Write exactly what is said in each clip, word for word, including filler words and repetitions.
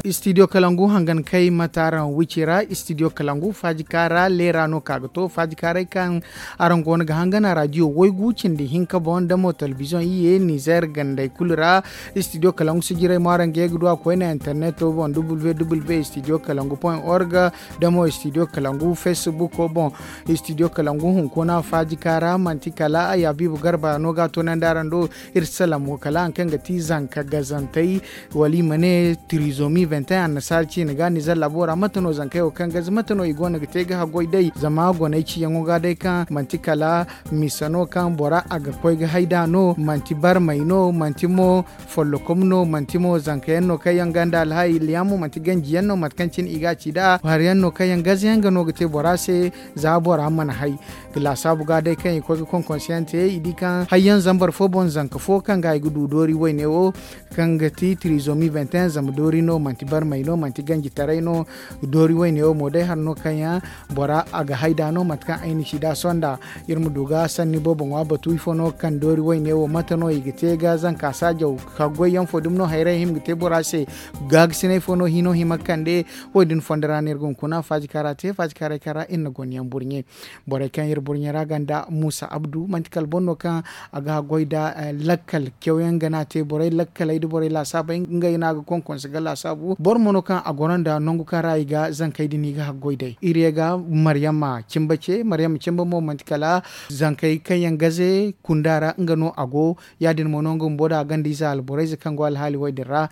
Istidiyo kalangu hangan kay mate araŋ wici ra. Istidiyo kalangu faajika ra leera no ka ga to faajika ra kaŋ araŋ go no ga hangan a raadiyo waygu cindi hinka boŋ da mo telebiziyoŋ iyye nizer gandey kulu ra. Istidiyo kalangu sijiray mo araŋ ga ye ga du a koyne interneto boŋ www istidiyo kalangu point org da mo istidiyo kalangu feesibuko boŋ. Istidiyo kalangu hunkuna faajika ra manti kala a ya biibu garba no ga a toonandi araŋ do. Iri salamo kala haŋ kaŋ ga ti zanka gazantey wala i ma ne tirizomi vingt et un annasaara ciine ga nizer laabo ra mate no zankey wo kaŋ gaze mate no i go no ga te ga haggoy day zama goney ciyaŋo ga day kaŋ manti kala misa no kaŋ bora a ga koy ga hay da no manti barmay no manti mo follokom no manti mo zanka yaŋ no kaŋ yaŋ ganda alhaali yaŋ mo manti ganji yaŋ no mate kaŋ cine i ga a ci da hari yaŋ no kaŋ yaŋ gaze yaŋ ga no ga te bora se. Za bora mana hay ga laasaabu ga day kaŋ i koy ga konkonse yaŋ te i di kaŋ hayyaŋ zambar fo boŋ zanka fo kaŋ ga i ga du doori wayne wo kaŋ ga ti tirizomi vingt et un zama doori no manti barmay no manti ganjitaray no. Doori wayne wo mo day har no kaŋ yaŋ bora a ga hay da no mate kaŋ ay na ci da sonda. Iri ma du ga sanni boobo ŋwa batu ifo no kaŋ doori wayne wo mate no i ga te ga zanka saajaw ka goy yaŋ fo dumi no hayray hima ga te bora se. Gaagasinay fo no hino hima kande. Wo- din fondo ra no iri ga hunkuna faajikaara te faajikaaray kaŋ ra iri na gonyaŋ burɲe. Borey kaŋ iri burɲe ra ganda muusa abdu manti kala boro no kaŋ a ga haggoy nda lakkal cawyaŋ ga no a te borey lakkaley nda borey laasaabey ngey no a ga konkonse ga laasaabu boro mo no kaŋ a goro nda nangu kaŋ ra i ga zankey din i ga haggoy day iri ye ga maryama cimba ce maryama cimba mo manti kala zankey kaŋ yaŋ gaze kunda ra nga no a go. Ya- din mo no nga bumbo nda a ganda ize alborayze kaŋ go alhaali wo- din ra.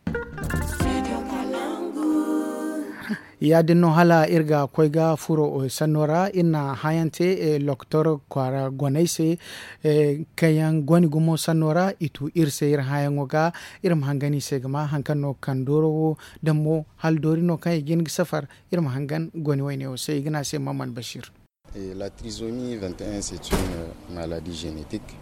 Ya- din no hala iri ga koy ga furo sanno ra iri na hããyaŋ te lokotor kwaara goney se. Kaŋ yaŋ goni gumo sanno ra i tu iri se iri hããyaŋo ga iri ma hangan i se ga ma hari kaŋ no ga kaŋ dooro wo. Daŋ mo hala doori no kaŋ i ga hin ga safar iri ma hangan goni wayne wo se i ga ne a se maman bashir. La trizomi vingt et un c'est une maladie génétique.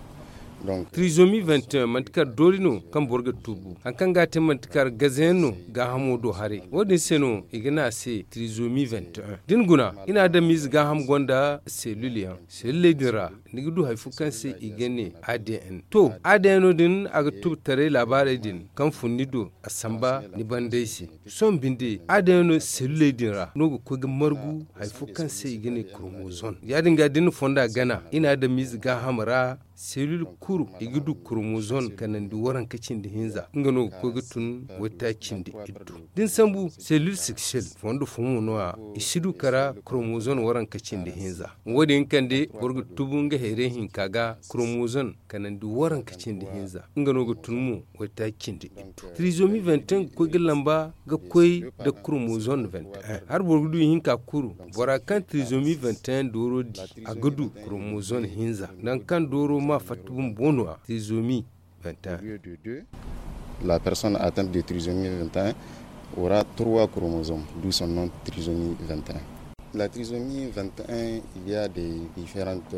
Trizomi vingt et un manti kala doori no kaŋ boro ga tubu hari kaŋ ga a te manti kala gazayaŋ no gaahamo do haray wo- din se no i ga ne a se trizomi vingt et un da ni guna i na adamize gaaham gonda selil yaŋ seliley din ra ni ga du hari fo kaŋ se i ga ne adn to adn no din a ga tubu taray laabaarey din kaŋ fun ni do a samba ni bandey se. Sohõ binde adn no seliley din ra no ga koy ga margu hari fo kaŋ se i ga ne kromozon ya- din ga da ni na fonda gana i na adamize gaaham ra selil kuru i ga du kromozon kanandi waranka cindi hinza nga no ga koy ga tun waytaaci cindi iddu da ni sambu selil siksel fondo fo mo no- ya i si du kara kromozon waranka cindi hinza. Wo- din kande boro ga tubu nga hayray hinka ga kromozon kanandi waranka cindi hinza nga no ga tun mo waytaaci cindi iddu. Trizomi vingt et un ga koy ga lamba ga koy nda kromozon vingt et un hari boro ga du ihinka kuru bora kaŋ trizomi vingt et un dooro di a ga du kromozon hinza nangu kaŋ dooro ma fatta bumbo no- ya trizomi vingt et un. La personne atteinte de trizomi vingt et un aura trois chromosomes d'où son nom trizomi vingt et un. La trizomi vingt et un il y a des différentes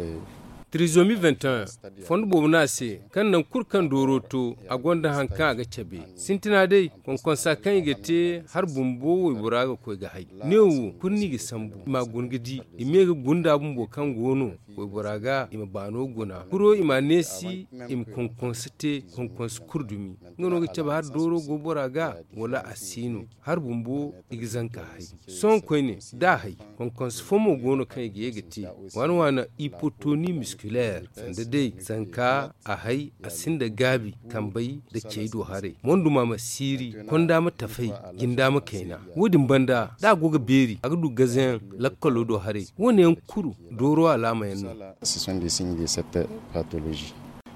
trizomi vingt et un fondo boobo no a se kaŋ nangu kulu kaŋ dooro to a gonda hari kaŋ a ga cabe sintina day konkonsa kaŋ i ga te hari bumbo waybora ga koy ga hay neewo kulu no i ga sambu i ma a guna ga di i me ga gunda bumbo kaŋ go no waybora ga i ma baano guna kuro i ma a neesi i ma konkonsa te konkonsa kulu dumi nga no ga cabe hari dooro go bora ga wala a si no hari bumbo i ga zanka hay sohõ koyne da a hay konkonsa fo mo go no kaŋ i ga ye ga te waana waana hypotonie musculaire sanda day zanka a hay a sinda gaabi kambey nda cey do haray monduma ma siiri konda ma tafay jinda ma kayna wo- din banda da a go ga beeri a ga du gazayaŋ lakkalo do haray wo- ne yaŋ kulu dooro alaama yaŋ no. Ce sont des signes de cette pathologie.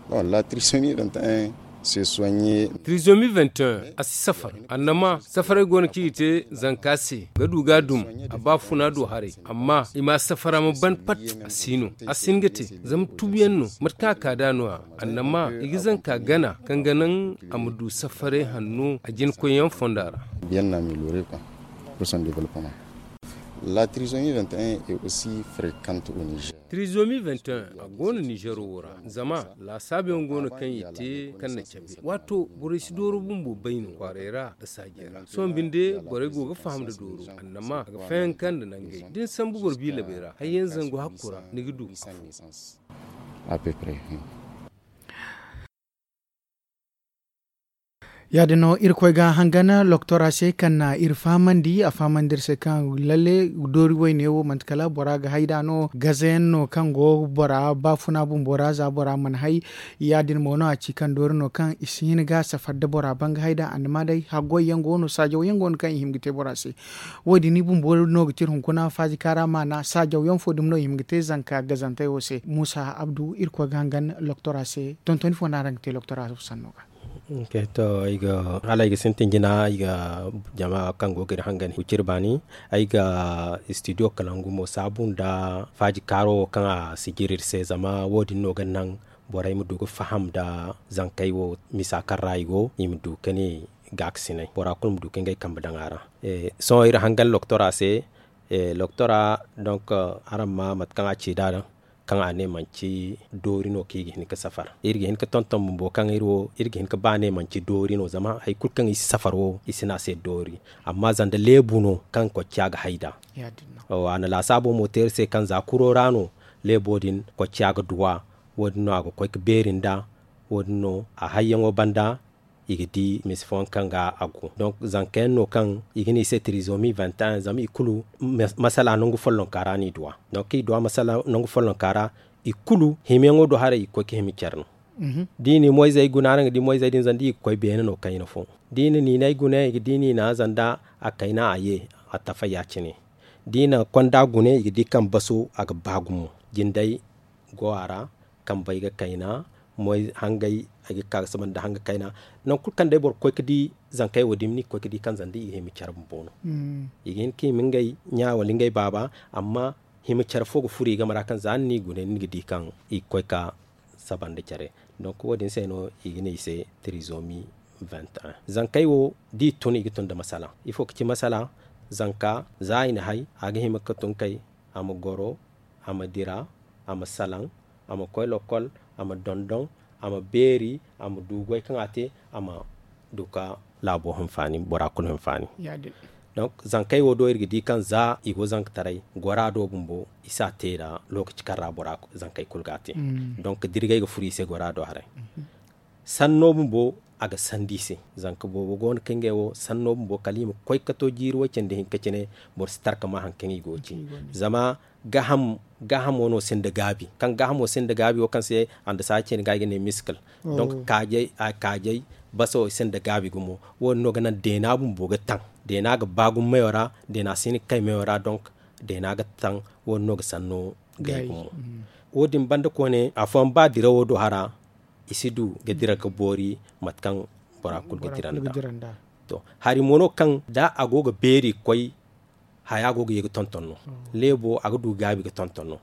Bon la trisomi vingt et un se soigner. Trisomi vingt et un a si safar annama safaray go no kaŋ i ga te zanka se ga du ga a dum a ba funa do haray amma i ma a safara ma ban pat a si no a si hin ga te zama tubuyaŋ no mate kaŋ a ka da no- ya annama i ga zanka gana kaŋ ga naŋ a ma du safaray hanno a jina koyyaŋ fonda ra. Bien amélioré quoi pour son développement. La trisomi vingt et un est aussi fréquente au Niger. Trisomi vingt et un a go no nizero wo ra zama laasaabuyaŋ go no kaŋ i te kaŋ na cabe waato borey si dooro bumbo bay no kwaaray ra nda saajey ra sohõ binde borey go ga faham nda dooro annama a ga fayanka nda nangey da ni sambu boro biilabey ra hayyaŋ zangu hakku ra ni ga du afo. À peu près. Ya- din no irkoy ga hangan loktora se kaŋ na iri fahamandi a fahamandi iri se kaŋ lalle doori wayne wo manti kala bora ga hay nd'a no gazayaŋ no kaŋ go bora baafuna bumbo ra za bora mana hay. Ya- din mo no a ci kaŋ doori no kaŋ i si hin ga safar nda bora ban ga hay nd'a andama day haggoy yaŋ go no saajaw yaŋ go no kaŋ i hima ga te bora se. Wo- din i bumbo no ga ti iri hunkuna faaji kaara maana saajaw yaŋ fo dumi no i hima ga te zanka gazantey wo se muusa abdu irkoy ga hangan loktora se tontoni fo no araŋ ga te loktora fo sanno ga. To ay ga hala ay ga sintin jina ay ga jama kaŋ go ga iri hangan huciri baani. Ay ga studio kalangu mo saabu nda faaji kaaro wo kaŋ a si jiri iri se zama wo- din no ga naŋ borey ma du ga faham nda zankey wo misa kaŋ ra i go i ma du ga ne gaakasinay bora kulu ma du ga ngey kambe daŋ a ra. Sohõ iri hangan loktora se loktora donk araŋ ma mate kaŋ a ci nd'a kaŋ a ne manci doori no kaŋ i ga hin ga safar iri ga hin ga tonton bumbo kaŋ iri wo iri ga hin ga ba ne manci doori no zama hari kulu kaŋ i si safar wo i si ne a se doori. Amma zanda leebu no kaŋ kocciya ga hay nd'a a na laasaabo mo te iri se kaŋ za kuro ra no leebo din kocciya ga duw'a. Wo- din no a ga koy ga beeri nd'a wo- din no a hayyaŋo banda i ga di misi fooyaŋ kaŋ ga a go donk zanka yaŋ no kaŋ i ga ne i se tirizomi vingt et un zama i kulu masala nangu follonka ra no i duw'a. Donk kaŋ i duw'a masala nangu follonka ra i kulu hima yaŋo do haray i ga koy ga hima care no. Da i na i moyzey guna araŋ ga di moyzey din zama da i ga koy beene no kayna fo da i na niinay guna i ga di niina zama da a kayna a ye a tafay ya- cine da i na konda guna i ga di kaŋ baso a ga ba gumo jindey go a ra. Kambey ga kayna moy hangey ay ga ka ga saba nda hanga kayna. Nangu kulu kaŋ day boro ga koy ga di zankey wo dumi no i ga koy ga di kaŋ zanda i ga hima care bumbo no. I ga hin ga hima ngey ɲa wala ngey baaba amma hima care fo ga furo i game ra kaŋ za ni n'i gune ni ga di kaŋ i ga koy ga saba nda care. Donk wo- din se no i ga ne i se tirizomi vingt et un zankey wo da i tun i ga tun nda masala ifo ga ci masala? Zanka za i na hay a ga hima ga tun kay a ma goro a ma dira a ma salaŋ a ma koy lokol a ma dondon a ma beeri a ma du goy kaŋ a te a ma du ga laabo hinfaani bora kulu hinfaani. Donk zankey wo do iri ga di kaŋ za i go zankataray gora do bumbo i si a te nda lookaci kaŋ ra bora zankey kulu ga a te. Donk dirgay ga furo i se gora do haray sanno bumbo a ga sandi i se. Zanka boobo go no kaŋ ngey wo sanno bumbo kala i ma koy ga to jiiri way cindi hinka cine boro si tarka ma hari kaŋ i go ga ci. Zama gaahamo no sinda gaabi kaŋ gaahamo sinda gaabi wo kaŋ se andasaaci cine ga i ga ne miskil. Donk kaajay baso sinda gaabi gumo wo- din no ga naŋ deena bumbo ga taŋ deena ga ba gumo mayo ra deena si hin ga kay mayo ra donk deena ga taŋ wo- din no ga sanno gay gumo. Wo- din banda koyne afooyaŋ ba dirawo do hara i si du ga dira ga boori mate kaŋ bora kulu ga dira nd'a. To hari mo no kaŋ da a go ga beeri ga koy haya go ga ye ga tonton no leebo a ga du gaabi ga tonton no.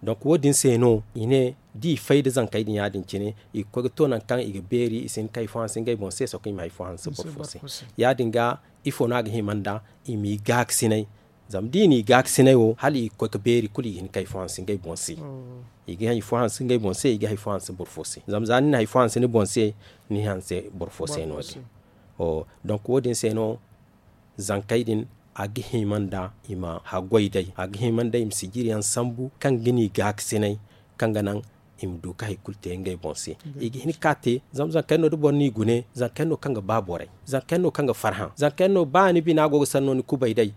Donk wo- din se no i ne da i fay nda zankey din ya- din cine i ga koy ga to nangu kaŋ i ga beeri i si hin ga kay fo hanse ngey boŋ se soko i ma hari fo hanse boro fo se. Ya- din ga ifo no a ga hima nd'a i m'i gaakasinay. Zama da i n'i gaakasinay wo hala i ga koy ga beeri kulu i ga hin ga kay fo hanse ngey boŋ se. I ga hari fo hanse ngey boŋ se i ga hari fo hanse boro fo se zama za ni na hari fo hanse ni boŋ se ni hanse boro fo se no- din. Donk wo- din se no zankey din a ga hima nda i ma haggoy day a ga hima nda i ma sijiri yaŋ sambu kaŋ ga ni gaakasinay kaŋ ga naŋ i ma du ga hari kulu te ngey boŋ se. I ga hin ga ka te zama zanka yaŋ no da boro n'i gune zanka yaŋ no kaŋ ga ba borey zanka yaŋ no kaŋ ga farhã zanka yaŋ no ba ni bina go ga sanno ni kubay day.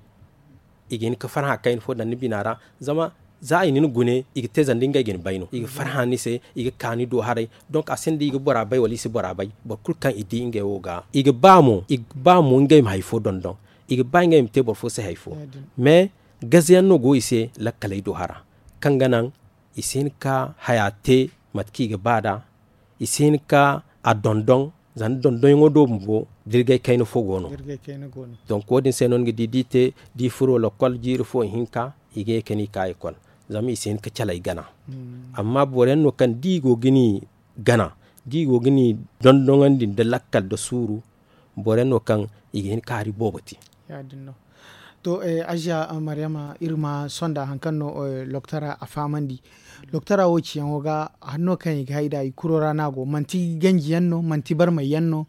I ga hin ga farhã kayna fo daŋ ni bina ra zama za i na ni gune i ga te zanda ngey ga ni bay no i ga farhã ni se i ga ka ni do haray. Donk a sinda i ga bora bay wala i si bora bay boro kulu kaŋ i di ngey wo ga i ga ba mo i ga ba mo ngey ma hari fo dondon. I ga ba ngey ma te boro fo se hari fo mais gaze yaŋ no go i se lakkaley do hara kaŋ ga naŋ i si hin ga ka haya te mate kaŋ i ga ba nd'a. I si hin ga ka a dondon zama dondonyaŋo do bumbo dirgay kayna fo go no. Donk wo- din se no ni ga di da i te da i furo lakkol jiiri fo ihinka i ga ye ka ni ka ekol zama i si hin ga calay gana. Amma boro yaŋ no kaŋ da i go ga ni gana da i go ga ni dondoŋandi nda lakkal nda suuru boro yaŋ no kaŋ i ga hin ga ka hari boobo te. To aziya maryama iri ma sonda hari kaŋ no loktora a fahamandi. Loktora wo ciyaŋo ga hari no kaŋ i ga hay nd'a i kuro ra no a go manti ganji yaŋ no manti barmay yaŋ no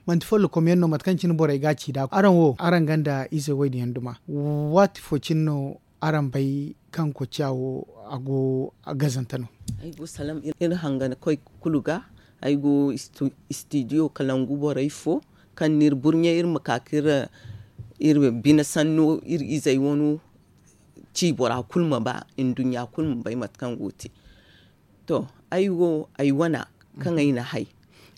manti follokom yaŋ no mate kaŋ cine borey ga a ci nd'a araŋ wo araŋ gonda ize wo- din yaŋ duma? Waati fo cine no araŋ bay kaŋ kocciya wo a go gazante no? Ay go salaŋ iri hangankoy kulu ga. Ay go istidiyo kalangu borey fo Kaŋ n'iri burɲe iri ma ka ka iri bine sanno iri izey wano ci bora kulu ma ba nduɲɲa kulu ma bay mate kaŋ go ga te. To, ay wo ay wana kaŋ ay na hay,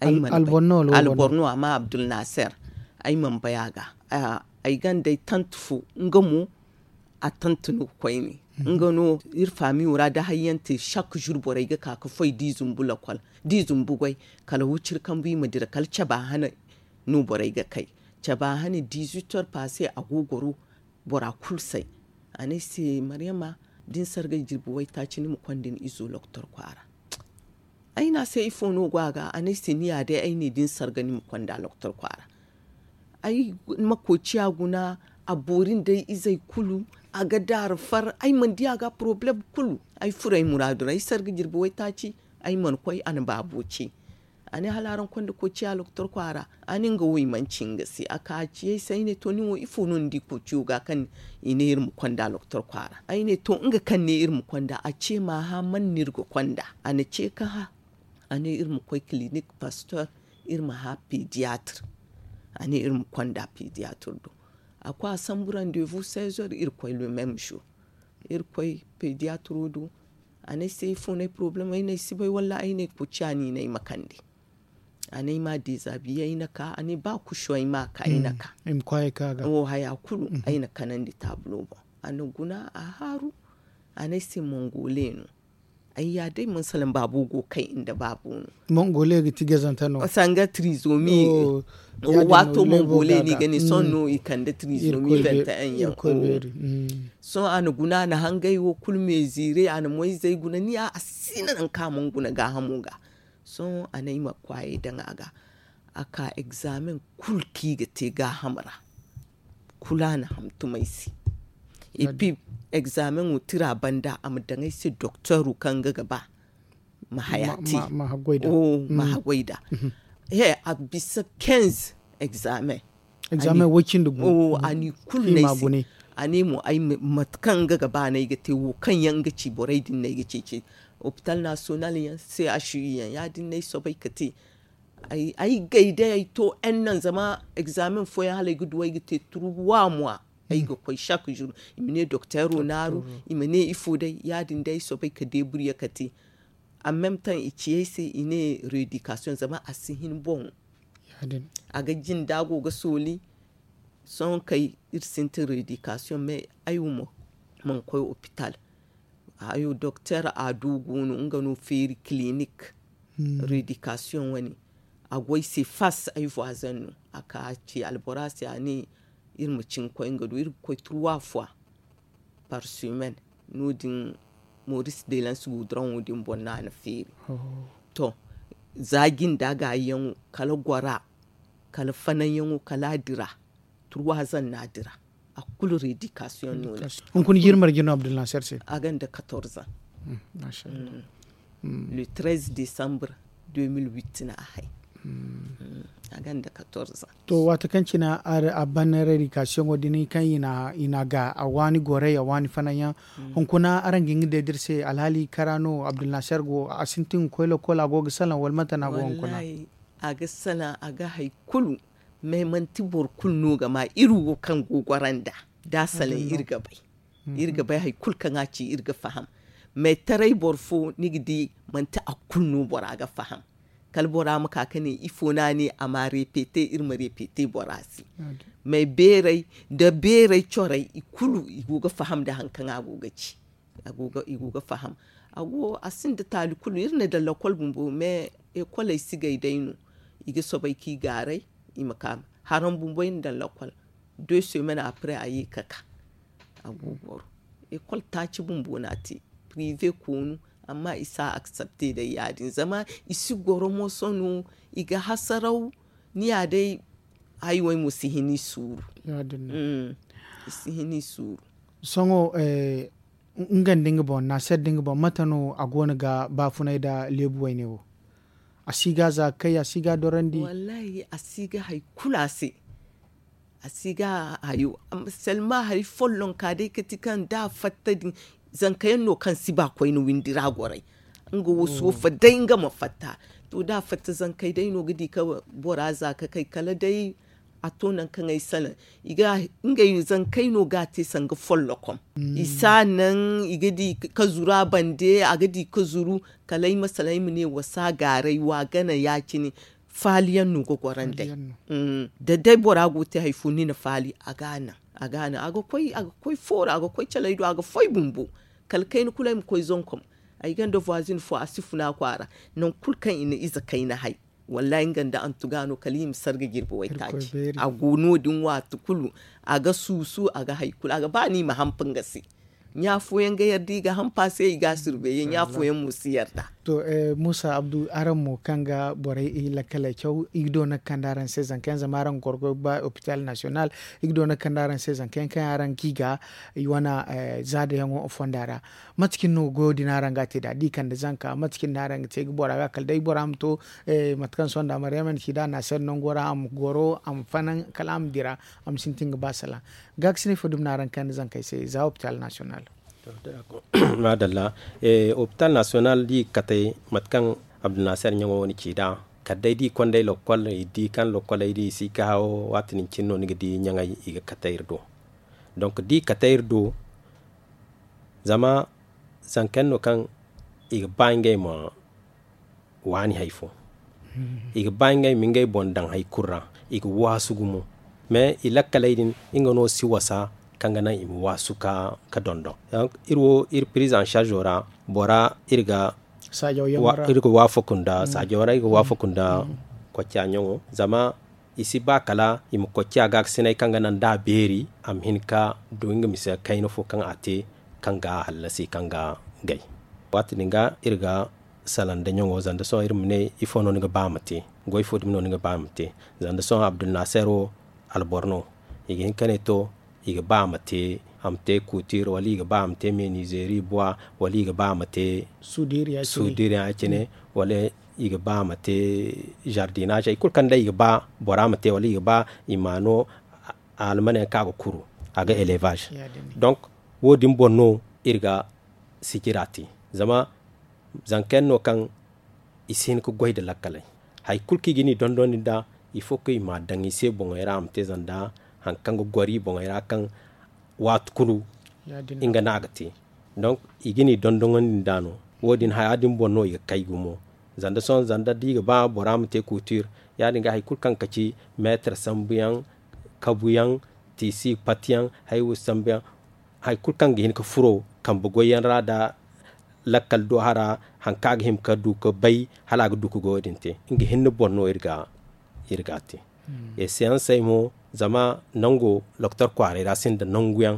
ay mana bay. Albor no a ma abdul naser. Ay mana bay a ga. Ay ganda ay tante fo nga mo a tante no koyne. Nga no iri faamiyo ra da hayyaŋ te chaque jour borey ga ka ga foy da i zumbu lokol da i zumbu goy kala wuciri kambu i ma dira kala caba hane. No borey ga kay caba hane dix-huit heures passe a go goro bora kulu say. A ne ay se maryama da ni sargay jirbi waytaaci ni ma konda ni izo loktor kwaara. Ay ne a se ifo no go a ga a ne ay se ni ya day ay ne da ni sarga ni ma konda loktor kwaara. Ay ma koociya guna a boori nda ay izey kulu. A ga daaru far ay mana di a ga poroblem kulu. Ay furo ay muraadu ra ay sarga jirbi waytaaci. Ay mana koy a na baabo ce. A ne hala araŋ konda koociya loktor kwaara. A ne nga wo i mana ci nga se a ka a ci ay se ay ne to nin wo ifo no ni di koociyo ga kaŋ i ne iri ma konda loktor kwaara ay ne to nga kaŋ ne iri ma konda a ce maaha man no iri ga konda a na ce ka hã. A ne iri ma koy kilinik pastor iri ma hã pediatre. A ne iri ma konda pediatre do. A koy a sambu rendez-vous seize heures iri koy le même jour. Iri koy pediatre do. A ne ay se ifo no ay problème ay ne ay si bay walla ay ne koociya no i ne ay ma kande. A ne ay ma dezabiye ay na ka a ne ba kuso ay ma ka ay na ka. Wo haya kulu ay na kanandi taabulo boŋ. A na guna a haaru. A ne ay se mongole no. Ay ya day mana salaŋ baabo go kay nda baabo no. Mongole ga ti gazanta no sanga trizomi. Waato mongole no i ga ne sohõ no i kande trizomi vingt et un yaŋ. Sohõ a na guna a na hangay wo kulu meziire a na moyzey guna ni ya a si na nangu kaŋ a mana guna gaahamo ga. Sohõ a ne ay ma kwaayey daŋ a ga. A ka egzaamen kulu kaŋ i ga te gaaham ra. Kulu a na hantum ay se. Epi egzaameŋo tira banda a ma daŋ ay se dokteero kaŋ nga ga ba ma haya te. Ma haggoy da. He a bisa quinze egzaamen. Egzaamen way cindi gu. A n'i kulu no ay se. A ne mo ay mate kaŋ nga ga ba no ay ga te wo kaŋ yaŋ nga ci borey din no ay ga ceeci. Hopital nasiyonal yaŋ se a si yaŋ ya- din no ay soobay ga te. Ay gay day ay to en nan zama egzaamen fooyaŋ hala ay ga du ay ga te turwa mwa. Ay ga koy chaque jour i ma ne dokteero naaru. I ma ne ifo day ya- din day ay soobay ga deeburye ga te. An meme taŋ i ci ay se i ne redikasiyoŋ zama a si hin boŋ. A ga jinde a go ga sooli. Sohõ kay iri sintin redikasiyoŋ mais ay wo mo mana koy opital. Hayo dokteer a du go no nga no feeri kilinik. Redikasiyoŋ wane a go ay se fas ay voizen no a ka a ci albora se a ne iri ma cin koy nga do iri ga koy turwa fwa. Par semaine no- din moris de lans guduraŋo din boŋ no a na feeri. To za jinde a ga yaŋo kala gora kala fananyaŋo kala a dira. Turwazan no a dira a kulu redikasiyoŋ no. Hunkuna jirmar jino abdulnasir se a ganda katorzan. Le treize décembre deux mille huit no a hay. A ganda katorzan. To waati kaŋ cina a ban redikasiyoŋo din kaŋ i na ga a waani goray a waani fananyaŋ. Hunkuna araŋ ga hin ga deediri se alhaali kara no abdulnasir go a sintin ga koy lokol a go ga salaŋ wala mate no a go hunkuna? A ga salaŋ a ga hari kulu. Mais manti boro kulu no ga ma iri wo kaŋ go goro nd'a da a salaŋ iri ga bay. Iri ga bay hari kulu kaŋ a ci iri ga faham. Mais taray boro fo ni ga di manti a kulu no bora ga faham. Kala bora ma ka ga ne ifo no a ne a ma repete iri ma repete bora se. Mais beeray nda beeray coray i kulu i go ga faham nda hari kaŋ a go ga ci. I go ga faham. A go a sinda taali kulu iri na daŋ lakol bumbo mais ekoley si gay day no. I ga soobay ka i gaaray i ma ka haraŋ bumbo iri na daŋ lakol. Deux semaines après a ye ka ka a go goro. Ekol taaci bumbo no a te prive koonu. Amma i si a aksepte day ya- din zama i si goro moso no. I ga hasaraw ni ya day. Hayo ay mo si hin i suuru. I si hin i suuru. Sohõ nga nda nga boŋ naasir nda nga boŋ mate no a go no ga baafunay nda leebu wayne wo? A si ga za ga kay a si ga dorandi. Wallahi a si ga hari kulu a se. A si ga hayo. Selma hari follonka day ga ti kaŋ da a fatta din zanka yaŋ no kaŋ si ba koyne windi ra goray. Nga wo soofa day nga ma fatta. To da a fatta zankey day no ga di ka bora za ka kay kala day a to nangu kaŋ ay salaŋ. I ga ngey zankey no ga a te sanga follokom. I si a naŋ i ga di ka zuru a bande a ga di ka zuru. Kala ay masala ay ma ne wa si a gaaray wa gana ya- cine. Faaliyaŋ no ga goro nd'ey. Da day bora go ga te hari fo ni na faali a ga a naŋ a ga a naŋ a ga koy foora a ga koy caley do a ga foy bumbo. Kala kayna kulu ay ma koy zonkom. Ay gonda voisin fo a si funa kwaara. Nangu kulu kaŋ i na ize kayna hay. Wallahi nga nda antuga no kala i ma sarga jirbi waytaaci. A go no- din waati kulu a ga suusu a ga hari kulu a ga ba no i ma hampa nga se. Ɲa fooyaŋ ga yarda i ga hampa se i ga a surbeeye ɲa fooyaŋ mo si yarda. To muusa abdu araŋ mo kaŋ ga borey lakkaley caw i ga do no ga kande araŋ se zanka yaŋ zama araŋ ga goro ga ba hopital nasiyonal. I ga do no ga kande araŋ se zanka yaŋ kaŋ yaŋ araŋ ga i ga i wane zaada yaŋo fonda ra. Mate cine no goyo din araŋ ga a te nd'a da i kande zanka mate cine no araŋ ga te ga bora ga kala day bora ma to. Mate kaŋ sohõ nda maryama na ci nd'a naasir nango ra a ma goro a ma fanaŋ kala a ma dira. A ma sintin ga ba salaŋ. Gaakasinay fo dumi no araŋ ga kande zankey se za hopital nasiyonal. Maadalla. Hopital nasiyonal da i ga katay mate kaŋ abdulnaasir ɲaŋo wo na ci nd'a kala day da i konda ay lokkol i di kaŋ lokkoley da i si ga haawo. Waati din cine no ni ga di ɲaŋey i ga katay iri do. Donk da i katay iri do zama zanka yaŋ no kaŋ i ga ba ngey ma waani hari fo. I ga ba ngey ma ngey boŋ daŋ hari kulu ra. I ga waasu gumo. Mais i lakkaley din nga no si wasa kaŋ ga naŋ i ma waasu ka dondon. Iri wo iri pirize en sarzo ra bora iri ga waafaku nda saajaw ra iri ga waafaku nda kocca ɲaŋo zama i si ba kala i ma kocca gaakasinay kaŋ ga naŋ da a beeri a ma hin ka du nga mise kayna fo kaŋ a te kaŋ ga a hallasi kaŋ ga gay. Waati din ga iri ga salaŋ nda ɲaŋo zama da sohõ iri ma ne ifo no ni ga ba a ma te? Goy fo dumi no ni ga ba a ma te? Zama da sohõ abdulnaasir wo alboro no i ga hin ka ne to i ga ba a ma te a ma te kuutir wala i ga ba a ma te menizeeri buwa wala i ga ba a ma te suudiiriyaŋ ya- cine wala i ga ba a ma te zardinaz hari kulu kaŋ day i ga ba bora ma te wala i ga ba i ma no almane yaŋ kaŋ a ga kuru a ga elevaz. Donk wo- din boŋ no iri ga sijira te zama zanka yaŋ no kaŋ i si hin ga goy nda lakkaley hari kulu kaŋ i ga ni dondon din da ifo kaŋ i ma a daŋ i se boŋey ra a ma te zama nda hari kaŋ ga goro i boŋey ra kaŋ waati kulu nga no a ga te. Donk i ga ni dondon din da no wo- din haya din boŋ no i ga kay gumo. Zama da sohõ zama da i ga ba bora ma te kuutir ya- din ga hari kulu kaŋ ga ci meetar sambu yaŋ kabu yaŋ tiisi pati yaŋ hari wo sambu yaŋ hari kulu kaŋ ga hin ga furo kambe goy yaŋ ra nda lakkal do hara hari kaŋ a ga hima ka du ga bay hala a ga du ga goyo din te nga hinne boŋ no iri ga a te. Eseyansey mo zama nango loktor kwaaray ra sinda nangu yaŋ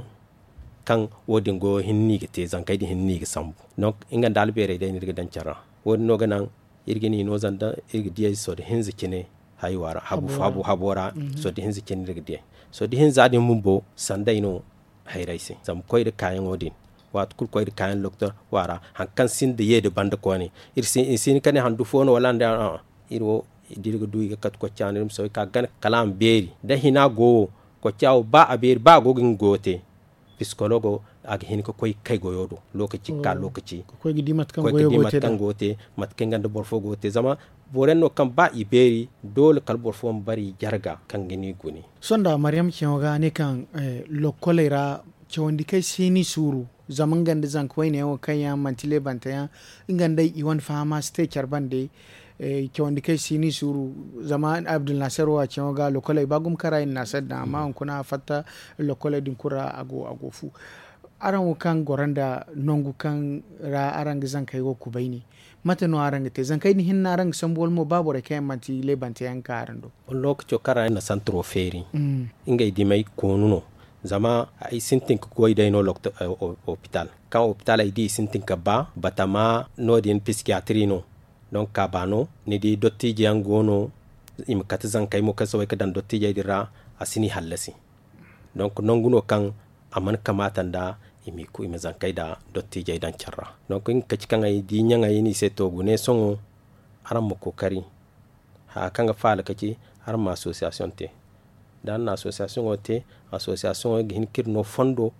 kaŋ wo- din goyo hinne no i ga te zankey din hinne no i ga sambu. Donk nga nda albeerey day no iri ga daŋ care ra wo- din no ga naŋ iri ga ni no zama da iri ga diyey sorro hinza cine haywa ra habu habo ra sorro hinza cine iri ga diyey. Sorro hinza din bumbo sanday no hayray se zama koy nda kaayaŋo din waati kulu koy nda kaayaŋ doktor kwaara hari kaŋ sinda ye nda banda koyne iri si hin ka ne handu fo no wala nda iri wo da iri ga du i ga kate kocca no iri ma soobay ka gana kala a ma beeri da hina go wo kocca wo ba a beeri ba a go ga nga goyo te. Pisikologo a ga hin ka koy ga kay goyo do lookaci ga ka lookaci ga koy ga di mate kaŋ goyo te mate kaŋ nga nda boro fo go ga te zama boro yaŋ no kaŋ ba i beeri doole kala boro fo ma bare i jarga kaŋ ga ni gune. Sohõ nda maryam ceeyaŋo ga ne kaŋ lokkoley ra cawandi kaŋ ay si ni suuru zama nga nda zanka wayne yaŋ wo kaŋ yaŋ manti leebante yaŋ nga nda i wane fahama si te care bande. Cawandi kaŋ ay si ni suuru zama abdulnaasir wo a ceeyaŋo ga lokkoley ba gumo kaŋ ra i na naasir daŋ amma hunkuna a fatta lokkoley din kulu ra a go fu. Araŋ wo kaŋ goro nda nangu kaŋ ra araŋ ga zankey wo kubay ne mate no araŋ ga te zankey din hinne no araŋ ga sambu wala mo ba borey kaŋ yaŋ manti leebante yaŋ ga ka araŋ do? Lookaco kaŋ ra ay na santiro feeri ngey dimey koonu no. Zama ay sintin ga goy day no hopital kaŋ hopital ay di i sintin ga ba batama no- din piskiyatiri no. Donk kaaba no ni di dottiijey yaŋ go no i ma kate zankey mo kaŋ si bay ga daŋ dottiijey din ra a si ni hallasi. Donk nangu no kaŋ a mana kamaata nda i ma zankey nda dottiijey daŋ care ra. Donk nga kaci kaŋ ay di ɲaŋey no i se to gune sohõ araŋ ma kookari haya kaŋ ga faala ka ci araŋ ma asosiyasiyoŋ te. Da araŋ na asosiyasiyoŋo te asosiyasiyoŋo ga hin ka iri no fondo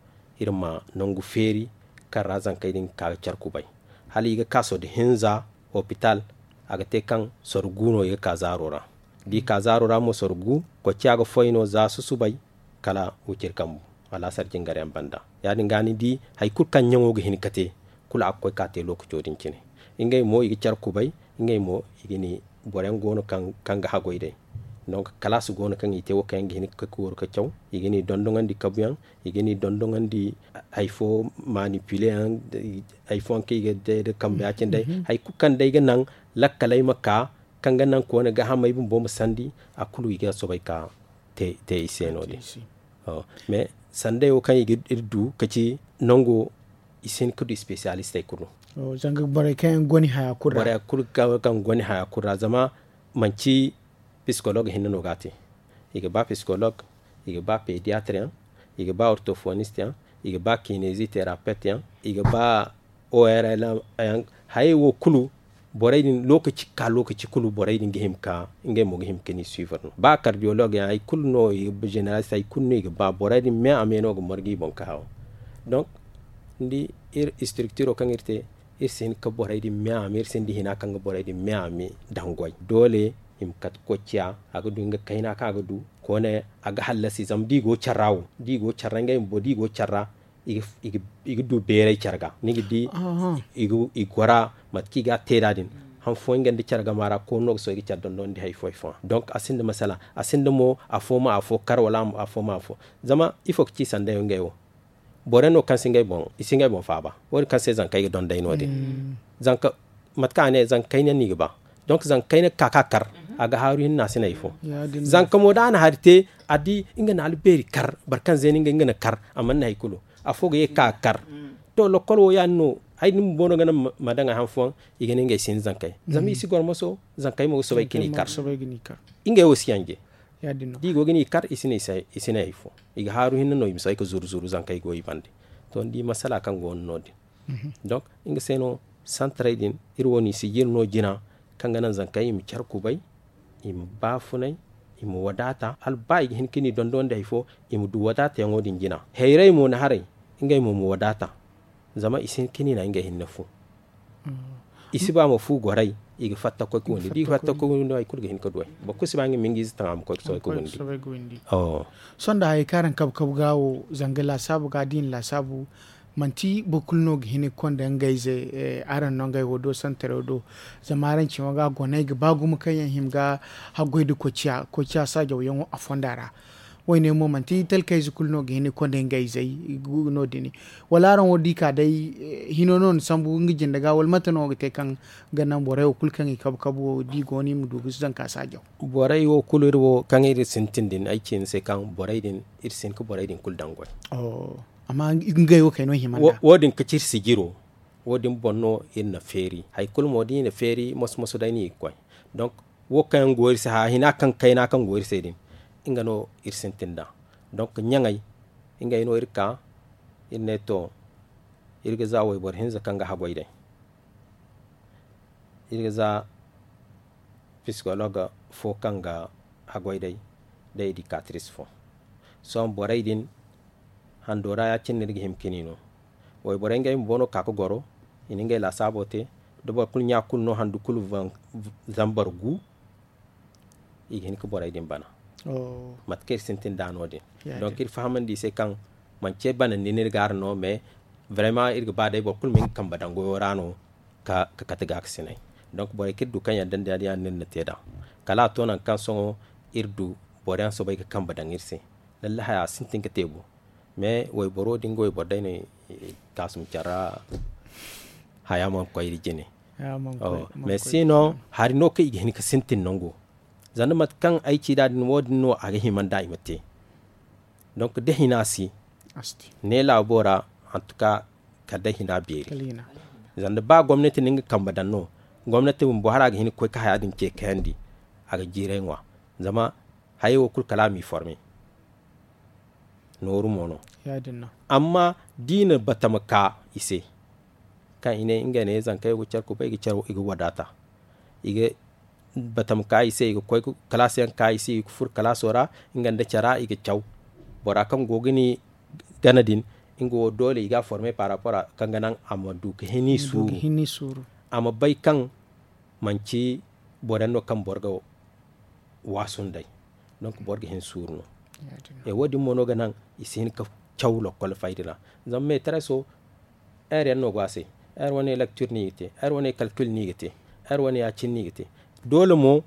iri ma nangu feeri kaŋ ra zankey din ga ka ga care kubay. hala i ga ka sorro hinza hopital. A ga te kaŋ sorro gu no i ga ka zaaro ra. Da i ka zaaro ra mo sorro gu, koociya ga foy no za susubay kala wiciri kambu alaasar jingar yaŋ banda. Ya- din ga ni di hari kulu kaŋ ɲaŋo ga hin ga te, kulu a ga koy ka te lookaco din cine. Ngey mo i ga care kubay. Ngey mo i ga ni boro yaŋ go no kaŋ ga haggoy day. Donk kalaasi go no kaŋ i te wo kaŋ yaŋ ga hin ga koy ga waru ga caw. I ga ni dondoŋandi kabu yaŋ. I ga ni dondoŋandi hari fo manipile yaŋ. Hari fo yaŋ kaŋ i ga day nda kambe ya- cine day. Hari kulu kaŋ day ga naŋ lakkaley ma ka kaŋ ga naŋ koone gaahamey bumbo ma sandi, a kulu i ga soobay ka te i se no- din. Mais sanday wo kaŋ i ga iri du ka ci nango i si hin ka du spesiyalistey kulu. Zanga borey kaŋ yaŋ goni haya kulu ra. Borey kulu kaŋ goni haya kulu ra zama manci psikolog hinne no ga a te. I ga ba psikolog, i ga ba pediatre yaŋ, i ga ba ortofonist yaŋ, i ga ba kinezi terapet yaŋ, i ga ba orl yaŋ. Hayey wo kulu borey din lookaci ka lookaci kulu borey din ga hima ka ngey mo ga hima ka ni suivre no ba kardiyolog yaŋ hari kulu no i ga ba zeneralist hari kulu no i ga ba borey din me a me no ga margu i boŋ ka haw. Donk ni di iri structuro kaŋ iri te iri si hin ka borey din me a me iri sinda hina kaŋ ga borey din me a me daŋ goy doole i ma kate koy ciya. A ga du nga kayna kaŋ a ga du koone a ga hallasi zama da i go care ra wo da i go care ra ngey bumbo da i go care ra i ga du beeray care ga ni ga di i gora mate kaŋ i ga a te da din. Han fooyaŋ nga nda care gama ra koonu no ga sohõ i ga care dondon nda hari fo hari fooyaŋ donk a sinda masala a sinda mo afo ma afo kar wala afo ma afo. Zama ifo ga ci sanday wo ngey wo boro yaŋ no kaŋ si ngey boŋ i si ngey boŋ faaba wo- din kaŋ se zankey ga dondey no- din. Zanka mate kaŋ a ne zankey ne no i ga ba donk zankey ne ga ka ka kar a ga haaru hinne a si ne hari fo. Zanka mo da a na hari te a di nga na albeeri kar boro kaŋ zeeni nga nga na kar a mana ne hari kulu. Afo ga ye ga ka ga kar to lokkol wo ya- din no. Ay da ni bumbo no ga naŋ ma daŋ a han fooyaŋ i ga ne ngey si hin zankey zama i si goro moso zankey mo ga soobay ga ni kar. Ngey wo si yanje da i go ga ni kar i si ne hari fo. I ga haaru hinne no i ma soobay ga zuru zuru zankey go i bande. To ni di masala kaŋ go no no- din donk nga se no santarey din iri wo no i sijiri no jina kaŋ ga naŋ zankey i ma care kubay i ma baafunay i ma wadaata hala ba i ga hin ka ni dondon nda hari fo i ma du wadaatayaŋo din jina. Hayrey mo na haray ngey mo ma wadaata zama i si hin ka ni naŋ ngey hinne fu. I si ba ma fu goray i ga fatta koy ga windi da i fatta koy ga windi no hari kulu ga hin ka du ay boro kulu si ba nga ma nga ize taŋ a ma koy ga soobay ga windi. Sohõ nda hari kaŋ araŋ kabu kabu ga wo zanga laasaabu ga da i na laasaabu manti boro kulu no ga hin ga konda ngey ize araŋ no ngey wo do santarey wo do. Zama araŋ cima ga goney ga ba gumo kaŋ yaŋ hima ga haggoy nda koociya koociya saajawyaŋo a fonda ra. Wayne mo manti talkayze kulu no ga hin ga konda ngey izey no- din wala araŋ wo da i ka day hino no na sambu nga jinde ga wala mate no ga te kaŋ ga naŋ borey wo kulu kaŋ i kabu kabu wo da i go no i ma du ga zanka saajaw. Borey wo kulu iri wo kaŋ iri sintin din ay ci ni se kaŋ borey din iri si hin ga borey din kulu daŋ goy. Amma ngey wo kayno hima nda wo- din ga ci iri sijiro. Wo- din boŋ no iri na feeri hari kulu mo da i na feeri moso moso day no i ga koy. Donk wo kaŋ yaŋ go iri se haya hina kaŋ kayna kaŋ go iri se din nga no iri sintin nd'a. Donk ɲaŋey ngey no iri ka iri ne to iri ga za wayboro hinza kaŋ ga haggoy day. Iri ga za psikolog fo kaŋ ga haggoy day da edikatris fo. Sohõ borey din hando ra ya- cine no iri ga hima ka ni no. Wayborey ngey bumbo no ga ka ga goro i na ngey laasaabo te da boro kulu ɲa kulu no handu kulu zambar gu. I ga hin ga borey din bana mate kaŋ iri sintin nd'a no- din. Donk iri fahamandi i se kaŋ manci banandi no iri ga araŋ no mais vraiment iri ga ba day boro kulu ma nga kambe daŋ goyo ra no. Ka kate ga ga sinay donk borey kaŋ iri du kaŋ yadda nda ya- din yaŋ no iri na te nd'a. Kala a to nangu kaŋ sohõ iri du boro yaŋ soobay ga kambe daŋ iri se. Lallahaya a sintin ga te bu. Mais wayboro da nga wayboro day no i kaasum care ra haya mana koy iri jine. Mais si no hari no kaŋ i ga hin ga sintin nango zanda mate kaŋ ay ci nd'a din wo- din no a ga hima nd'a i ma te. Donk da hina si ne laabo ra hantuka kala day hina beeri. Zanda ba gomnati na nga kambe daŋ no gomnati bumbo hala a ga hin ga koy ga haya din ce kayandi. A ga jiiray ŋwa zama hayey wo kulu kala a m'i forme. Nooru mo no. Amma da i na batama ka i se kaŋ i ne ngey ne zankey wo ga care kubay i ga wadaata. I ga batama ka i se i ga koy kalaasi yaŋ ka i se i ga furo kalaaso ra nga nda cara i ga caw. Bora kaŋ go ga ni gana din nga wo doole i ga a forme par rapport kaŋ ga naŋ a ma du ga hin i suuru. A ma bay kaŋ manci boro yaŋ no kaŋ boro ga waasu nd'ey. Donc boro ga hin suuru no. Wo- din mo no ga naŋ i si hin ga caw lokkol fayda ra. Zama meetareso, heure yaŋ no go a se. Heure wane lecture no i ga te, heure wane calcul no i ga te, heure wane ya- cine no i ga te. Doole mo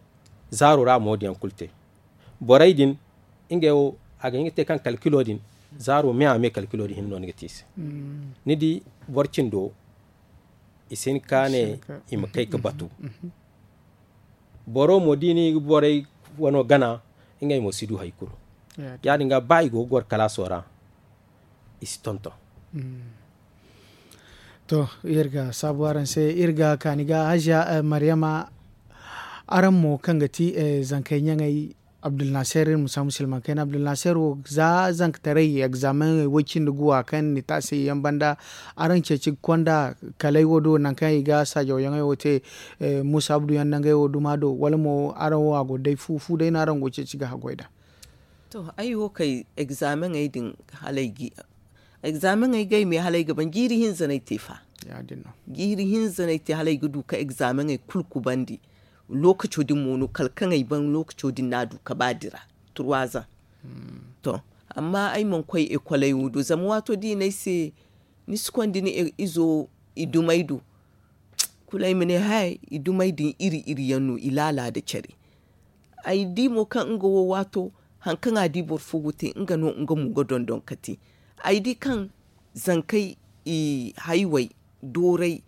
zaaro ra a ma wo- din yaŋ kulu te. Borey din, ngey wo a ga hin ga te kaŋ calculo din zaaro me a me calculo din hinne no ni ga te i se. Ni di, boro cindo i si hin ga ka ne i ma kay ga batu. Boro mo da i na i ga borey wano gana, ngey mo si du hari kulu. Ya- din ga ba i go ga goro kalaaso ra, i si tonton. To, iri ga saabu araŋ se, iri ga kaani ga hajiya maryama. Araŋ mo kaŋ ga ti zankey ɲaŋey, abdulnaser iri ma saabu silmaŋ kayna abdulnaser wo, za zankataray egzameŋey way-cindi guwa kaŋ ni taasi yaŋ banda, araŋ ceeci ga konda kalay wo do nangu kaŋ i ga saajawyaŋey wo te? Muusa abdu yaŋ nangey wo duma do wala mo araŋ wo a go day fu fu day no araŋ go ceeci ga haggoy nd'a? To, ay wo kay egzameŋey din, hala ay ga ay me hala ay ga ban jiiri hinza no ay te fa. Jiiri hinza no ay te hala ay ga du ga egzameŋey kulu kubandi. Lookaco din mo no kala kaŋ ay ban lookaco din no a du ga ba dira, turwazan. To, amma ay mana koy ekoley wo do zama waato da i ne ay se, ni si konda ni izo i dumey do? Kulu ay ma ne hay, i dumey din iri iri yaŋ no i laala nda care. Ay di mo kaŋ nga wo waato, hari kaŋ a di boro fo go te, nga no nga mo ga dondon ga te. Ay di kaŋ zankey i haywey dooray,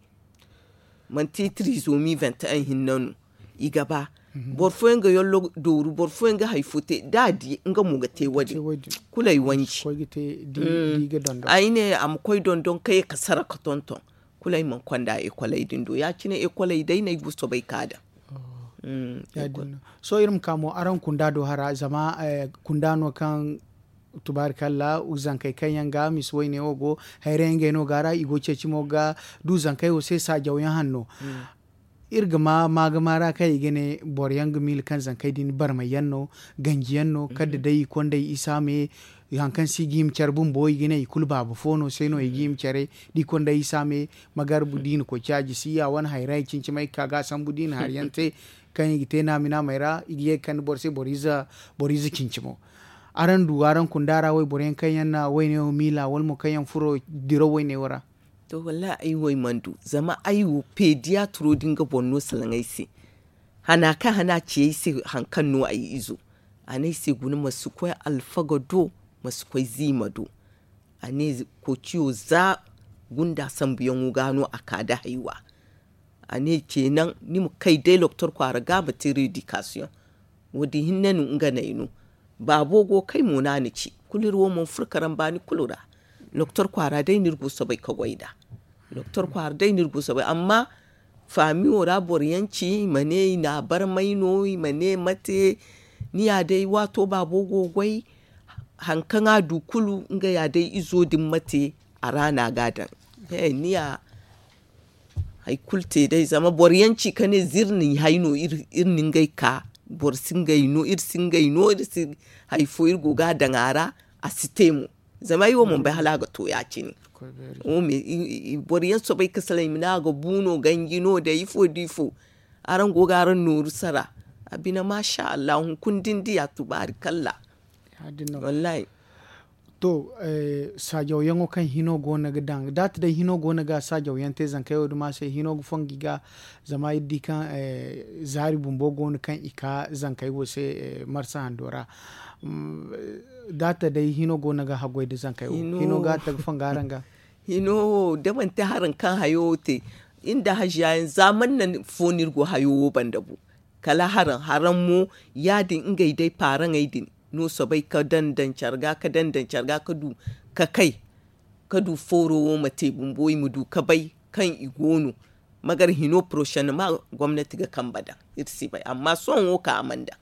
manti tirizomi vingt et un hinne no i ga ba. Boro fooyaŋ ga yollo dooru, boro fooyaŋ ga hari fo te da a di nga mo ga te wo- din. Kulu ay wanji. Ay ne a ma koy dondon ga ye ga sara ga tonton. Kulu ay mana konda ekoley din do ya- cine ekoley day no ay go soobay ga ka daŋ. Sohõ iri ma ka mo araŋ kunda do hara zama kunda no kaŋ tubaarikalla zankey kaŋ yaŋ ga misa wayne wo go, hayray ngey no go a ra i go ceeci mo ga du zankey wo se saajaw yaŋ hanno. Iri ga ma maagama ra kaŋ i ga ne boro yaŋ ga miila kaŋ zankey din barmay yaŋ no, ganji yaŋ no kala da day i kondey isa me. Hari kaŋ se i ga hima care bumbo i ga ne i kulu baaba fo no se no i ga hima care. Da i kondey isa me, magarbu da i na koy caaji si ya wane hayray cincimay ga ka ga a sambu da i na hari yaŋ te kaŋ i ga te naami naamey ra i ga ye ga kande boro se boro ize cincimo. Araŋ du araŋ kunda ra wayboro yaŋ kaŋ yaŋ na wayne wo miila wala mo kaŋ yaŋ furo diraw wayne wo ra? To wallahi ay wo ay mana du zama ay wo peediyatiro din ga boro no salaŋ ay se. Hana kaŋ hana ci ay se hari kaŋ no ay izo, a ne ay se guna ma si koy alfaga do, ma si koy ziima do. A ne kociyo za gunda sambuyaŋo ga no a ka nda haywa. A ne ce naŋ ni ma kay day doktor kwaara ga ma te redikasiyoŋ. Wo- din hinne no nga no ay no. Baabo go ga kay mo no a na ci kulu iri wo mana furo karambaani kulu ra. Doktor kwaara day no iri go soobay ga goy nd'a. Doktor kwaara day no iri go soobay amma faamiyo ra boro yaŋ ci i ma ne i na a barmay no i ma ne mate. Ni ya day waato baabo go ga goy. Hari kaŋ a du kulu nga ya day izo din mate a ra no a ga a daŋ. He ni ya hari kulu te day zama boro yaŋ ci ka ne za iri na hay no iri na ngey ka. Boro si ngey no iri si ngey no iri si hari fo iri go ga a daŋ a ra. A si te mo. Zama ay wo mana bay hala a ga to ya- cine. Boro yaŋ soobay ga salaŋ i ma ne a ga bu no ganji no day ifo da ifo. Araŋ go ga araŋ nooru sara. A bine maasa allahu hunkuna da ni diya tubaarikalla. Wallahi. To, saajawyaŋo kaŋ hino go no ga daŋ da a ta day hino go no ga saajawyaŋ te zankey wo duma se hino ga fongu i ga. Zama iri di kaŋ zaari bumbo go no kaŋ i ka zankey wo se marsa hando ra. Da a ta day hino go no ga haggoy nda zankey wo hino ga a ta ga fongu araŋ ga? Hino wo da manti haraŋ kaŋ hayo wo te iri nda haziya yaŋ za man na fo no iri go hayo wo banda bu. Kala haraŋ haraŋ mo ya- din ngey day paaraŋey din no soobay ga daŋ daŋ care ga ga daŋ daŋ care ga ga du ga kay ga du fooro wo ma te bumbo i ma du ga bay kaŋ i go no. Magar hino porosenema gomnati ga kambe daŋ iri si bay amma sohõ wo kaŋ a mana daŋ.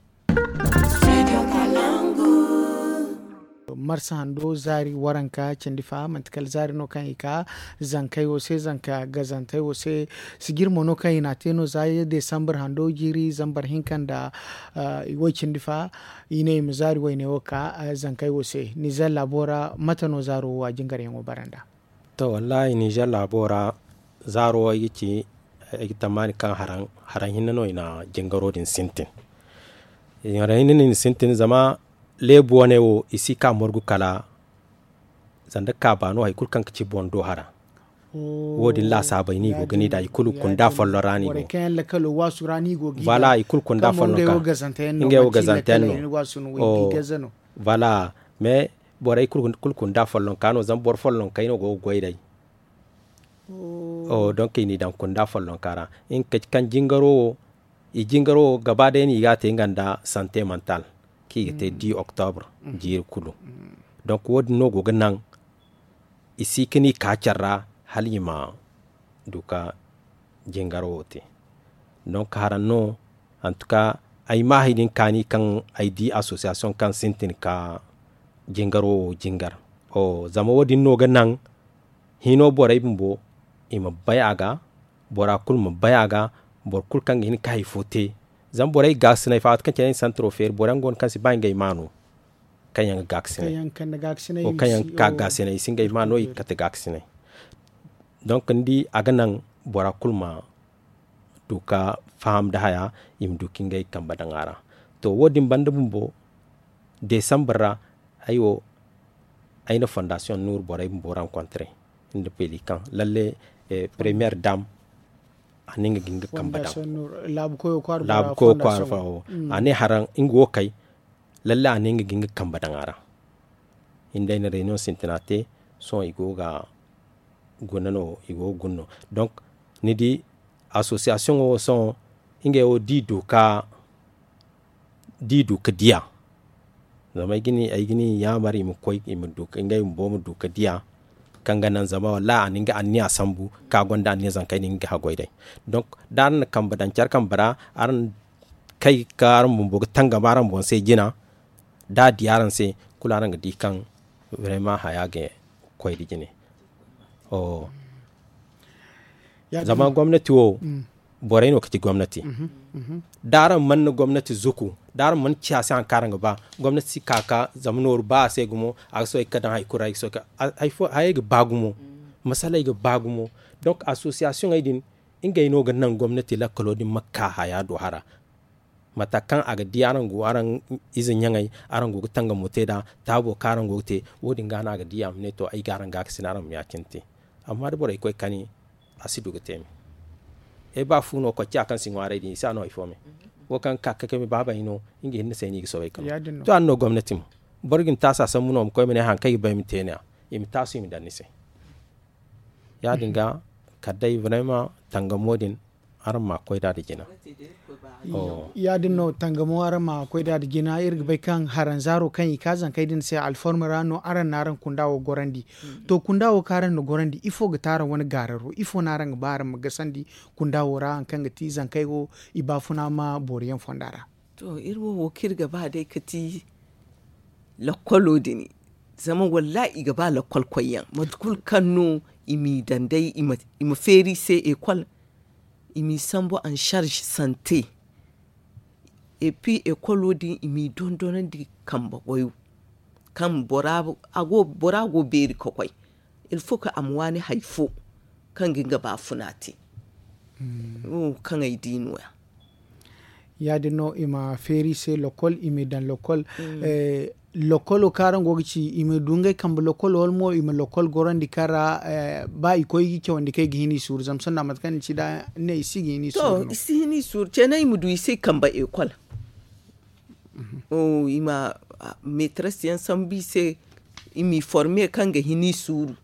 Marsa hando zaari waranka cindi fa manti kala zaari no kaŋ i ka zankey wo se zanka gazantey wo se. Sijir mo no kaŋ i n'a te no za desambar hando jiiri zambar hinka nda woy cindi fa. I ne i ma zaari wayne wo ka zankey wo se nizer laabo ra mate no zaaro wo a jingaryaŋo bara nd'a? To wallaahi nizer laabo ra zaaro wo ay ga ci ay ga tammaani kaŋ haraŋ hinne no i na jingaro din sintin. Haraŋ hinne no i na sintin zama leebu wane wo i si ka morgu kala sanda kaaba no hari kulu kaŋ ga ci boŋ do hara. Wo- din laasaabey no i go ga ne nd'a i kulu kunda folloŋ ra no i go. Voilà i kulu kunda folloŋ ka ngey wo gazante yaŋ no. Voilà. Mais borey kulu kunda folloŋ ka no zama boro folloŋ kay no go ga goy day. Donk i n'i daŋ kunda folloŋ ka ra. Nga ka ci kaŋ jingaro wo i jingaro wo gaba day no i ga a te nga nda sante mantal kaŋ i ga te di oktobre jiiri kulu. Donk wo- din no go ga naŋ i si ka ni ka care ra hala i ma du ka jingaro wo te. Donk haraŋ no hantuka ay ma hari din kaani kaŋ ay di asosiyasiyoŋ kaŋ sintin ka jingaro wo jingar. Zama wo- din no ga naŋ hino borey bumbo i ma bay a ga bora kulu ma bay a ga. Boro kulu kaŋ ga hin ka hari fo te zama borey ga gaasinay fa waati kaŋ cine ay na santaro feeri boro yaŋ go no kaŋ si ba ngey ma no kaŋ yaŋ ga gaasinay. Kaŋ yaŋ ga gaasinay i si ngey ma no i ga kate gaasinay. Donk ni di a ga naŋ bora kulu ma du ka faham nda haya i ma du ka ngey kambe daŋ a ra. To wo- din banda bumbo desambar ra ay wo ay na fondasiyoŋ nuuru borey bumbo rankontre nda peli kaŋ lalle premiyer dam a ne nga ga nga kambe daŋ. Laabu koyo kwaara fo a ne haraŋ nga wo kay lalle a ne nga ga nga kambe daŋ a ra. Ni day na reyniyoŋ sintina te sohõ i go ga guna no i go ga guna no. Donk ni di asosiyasiyoŋo wo sohõ ngey wo da i du ka da i du ka diya zama ay ga ni yaamar i ma koy i ma du ka ngey bumbo ma du ka diya kaŋ ga naŋ zama wallaahi a na nga anniya sambu kaŋ a gonda anniya zanka ay na nga ga haggoy day. Donk da araŋ na kambe daŋ care kambe ra araŋ kay ga ka araŋ bumbo ga tangam araŋ boŋ se jina da a di araŋ se kulu araŋ ga di kaŋ vraiment haya ga koy nda jine. Zama gomnati wo borey no ga ci gomnati. Da araŋ mana gomnati zuku da araŋ mana ci a se hari kaŋ araŋ ga ba gomnati si ka ga zama nooru ba a se gumo a ga soobay ga ka daŋ hari kulu ra ay ga soobay ga ka hayey ga ba gumo. Masaley ga ba gumo. Donk asosiyasiyoŋey din ngey no ga naŋ gomnati lakkalo din ma ka haya do hara mate kaŋ a ga di araŋ go araŋ ize ɲaŋey araŋ go ga tangamo te nd'a taabo kaŋ araŋ go ga te. Wo- din ga no a ga di a ma ne to ay ga araŋ gaakasin araŋ ma ya- cine te. Amma da borey koy kani a si du ga te me. Ay ba fu no kocciya kaŋ si ŋwaaray din i si a no hari fo me. Wo kaŋ ga ka ga kay me baabey no nga hinne se no i ga soobay ga no to a na no gomnati mo boro ga ni taasi a sambu no ma koy ma ne hari kaŋ ay ga ba ay ma te ne- ya i ma taasu i ma daŋ ni se. Ya- din ga kala day vraiment tangamo din araŋ ma koy nd'a nda jina. Ya- din no tangamo araŋ ma koy nd'a nda jina iri ga bay kaŋ haranzaaro kaŋ i ka zankey din se alforme ra no araŋ na araŋ kunda wo gorandi. To kunda wo kaŋ araŋ na gorandi ifo ga te araŋ wane gaararo ifo no araŋ ga ba araŋ ma gasandi kunda wo ra hari kaŋ ga ti zankey wo i baafuna ma boori yaŋ fonda ra. To iri wo wo kaŋ iri ga ba day ga ti lakkolo din zama wallaahi i ga ba lakkol koyyaŋ mate kulu kaŋ no i m'i daŋ day i ma feeri i se ekol i m'i sambu en charge sante. Et puis ekolo din i m'i dondonandi kambe goyo kaŋ bora go beeri ga koy. Il faut que a ma waani hari fo kaŋ ga nga baafuna te. Wo kaŋ ay di no- ya. Ya- din no i ma feeri i se lokol i m'i daŋ lokol. Lokolo kaŋ araŋ go ga ci i ma du ngey kambe lokolo wala mo i ma lokol gorandi kaŋ ra ba i koy ga i cawandi kaŋ i ga hin i suuru zama sohõ da mate kaŋ ni ci da ni ne i si ga hin i suuru no. I si hin i suuru ceene i ma du i se kambe ekol. I ma meetres yaŋ sambu i se i m'i forme kaŋ ga hin i suuru.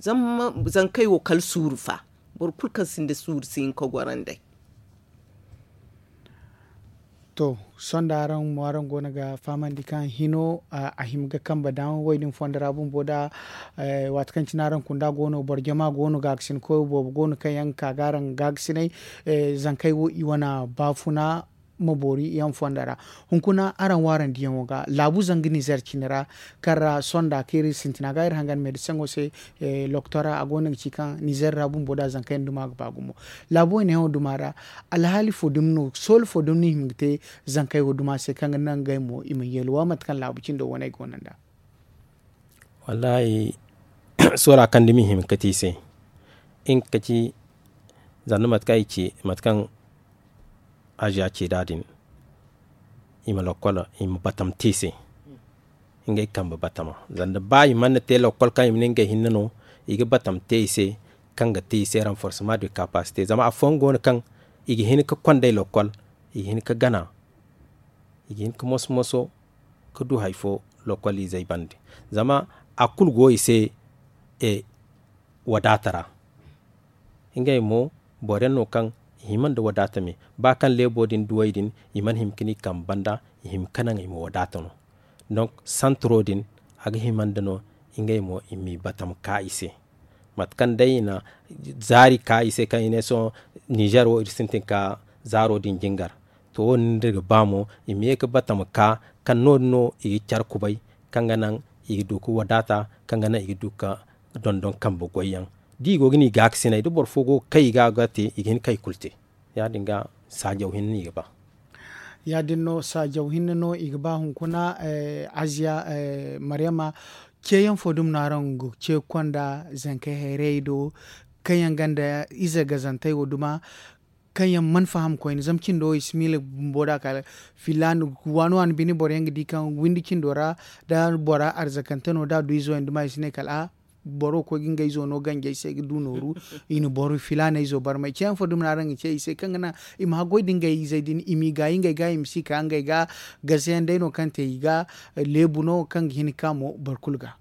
Zama zankey wo kala suuru fa boro kulu kaŋ sinda suuru si hin ka goro nd'ey. To sohõ da araŋ mo araŋ go no ga fahamandi kaŋ hino a hima ga kambe daŋ wo- din fondo ra bumbo da waati kaŋ cine araŋ kunda go no boro jama go no gaakasin koyo boobo go no kaŋ yaŋ ga ka ga araŋ gaakasinay. Zankey wo i wane baafuna ma boori yaŋ fondo ra. Hunkuna araŋ waarandiyaŋo ga laabu zanga nizer cine ra, kaŋ ra sonda kaŋ iri sintina ga iri hangan meediseŋo se. Loktora a go no ga ci kaŋ nizer ra bumbo da zankey duma ga ba gumo. Laabu wo i ne yaŋo duma ra, alhaali fo dumi no soolu fo dumi no i hima ga te zankey wo duma se kaŋ ga naŋ ngey mo i ma yeelu wa mate kaŋ laabu cindo waney go no nda. Wallaahi, soora kaŋ dumi i hima ga kate i se. Nga ga ci zanda mate kaŋ i ci mate kaŋ aziya ci nd'a din, i ma lakkol i ma batam te i se. Ngey kambe batama zanda ba i mana te lakkol kaŋ i ma ne ngey hinne no, i ga batam te i se. Kaŋ ga te i se ranforsema de kapasite zama afooyaŋ go no kaŋ i ga hin ga kond'ey lakkol, i ga hin ga gana, i ga hin ga moso-moso ga du hari fo lokolizey bande. Zama a kulu go i se wadaata ra. Ngey mo boro yaŋ no kaŋ i hima nda wadaata me. Ba kaŋ leebo din duwey din i mana hima ga ni kambe banda, i hima ga naŋ i ma wadaata no. Donk santaro din a ga hima nda no ngey mo i m'i batam ka i se. Mate kaŋ day i na zaari ka i se kaŋ i ne sohõ nizer wo iri sintin ka zaaro din jingar. To wo- din da iri ga ba mo i ma ye ga batam ka kaŋ no- din no i ga care kubay kaŋ ga naŋ i ga du ga wadaata, kaŋ ga naŋ i ga du ga dondon kambe goyyaŋ. Da i go ga ni gaakasinay da boro fo go ga kay i ga ga te i ga hin ga kay kulu te. Ya- din ga saajaw hinne no i ga ba. Ya- din no saajaw hinne no i ga ba hunkuna. Aziya, maryama, ceeyaŋ fo dumi no araŋ ga ce ga konda zankey hayrayey do kaŋ yaŋ gonda ize gazantey wo duma, kaŋ yaŋ mana faham koyne zama cindo i si miila bumbo da kala filaana waani waani bine boro yaŋ ga di kaŋ windi cindo ra da bora arzakante no da a du izo yaŋ duma i si ne kala a boro wo koy ga ngey izo no ganjey se ga du nooru. I na boro filaaney izo barmay ceeyaŋ fo dumi no araŋ ga ce i se kaŋ ga naŋ i ma haggoy da ngey izey din i m'i gaayi ngey ga i ma si ka ngey ga gaze yaŋ day no kaŋ te i ga leebu no kaŋ ga hin ga ka mo boro kulu ga.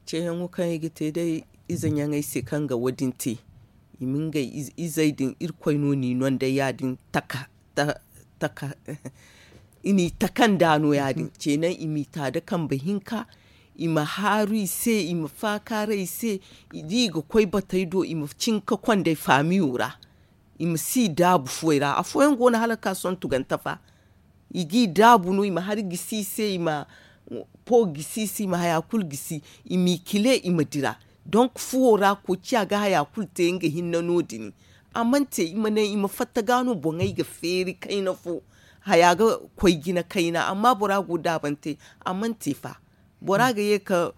Ceeyaŋo kaŋ i ga te day ize ɲaŋey se kaŋ ga wo- din te i ma ngey izey din irkoy no n'i no nd'ey ya- din taka taka i n'i taka nd'a no ya- din ceeyaŋ i m'i ta nda kambe hinka. I ma haaru i se i ma faakaaray i se da i ga koy batey do i ma cin ga kond'ey faamiyo ra. I ma si daabu fuwey ra afooyaŋ go no hala ga ka sohõ tugante fa. I g'i daabu no i ma hari gisi i se i ma po gisi i se i ma haya kulu gisi i m'i kile i ma dira. Donk fuwo ra koociya ga haya kulu te nga hinne no- din. A mana te i ma ne i ma fatta ga no boŋey ga feeri kayna fo haya ga koy jina kayna amma bora go daabante. A mana te fa bora ga ye ka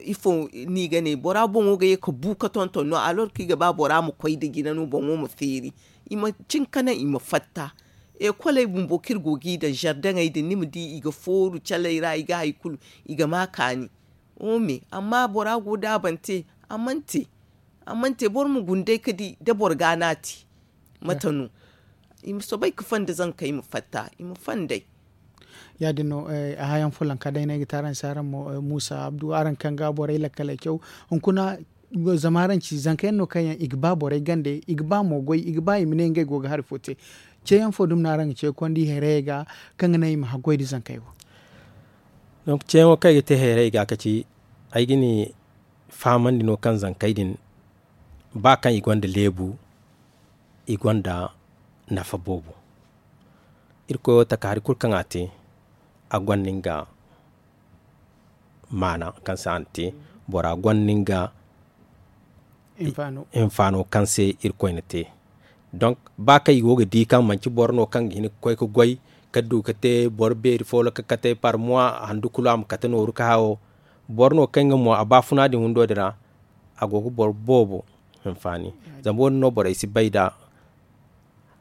ifo no i ga ne bora boŋo ga ye ka bu ka tonton no alors kaŋ i ga ba bora ma koy nda jina no boŋo ma feeri. I ma cin ka naŋ i ma fatta ekoley bumbo kaŋ iri go g'i daŋ zardaŋey din ni ma di i ga fooru caley ra i ga hari kulu i ga ma kaani. Ome amma bora go daabante a mana te. A mana te boro ma guna day ka di da boro ga no a te. Mate no i ma soobay ga fonda zankey ma fatta i ma fondey. Ya- din no a haya yaŋ folloŋ ka day no ay ga te araŋ se araŋ mo muusa abdu araŋ kaŋ ga borey lakkaley caw. Hunkuna zama araŋ ci zanka yaŋ no kaŋ yaŋ i ga ba borey gande i ga ba mo goy i ga ba i ma ne ngey go ga hari fo te. Ce yaŋ fo dumi no araŋ ga ce ga konda i hayrayey ga kaŋ ga naŋ i ma haggoy nda zankey wo. Donk ce yaŋo kaŋ ay ga te hayrayey ga ka ci ay ga ni fahamandi no kaŋ zankey din ba kaŋ i gonda leebu i gonda nafa boobo. Irkoy wo taka hari kulu kaŋ a te a gonda nga maana kaŋ se a na te bora gonda nga hinfaano kaŋ se irkoy na te. Donk ba kaŋ i go ga di kaŋ manci boro no kaŋ ga hin ga koy ga goy ka du ga te boro beeri fo ga kate par mois handu kulu a ma kate nooru ka hawo. Boro no kaŋ nga mo a baafuna din windo din ra a go ga boro boobo hinfaani. Zama wo- din no borey si bay nda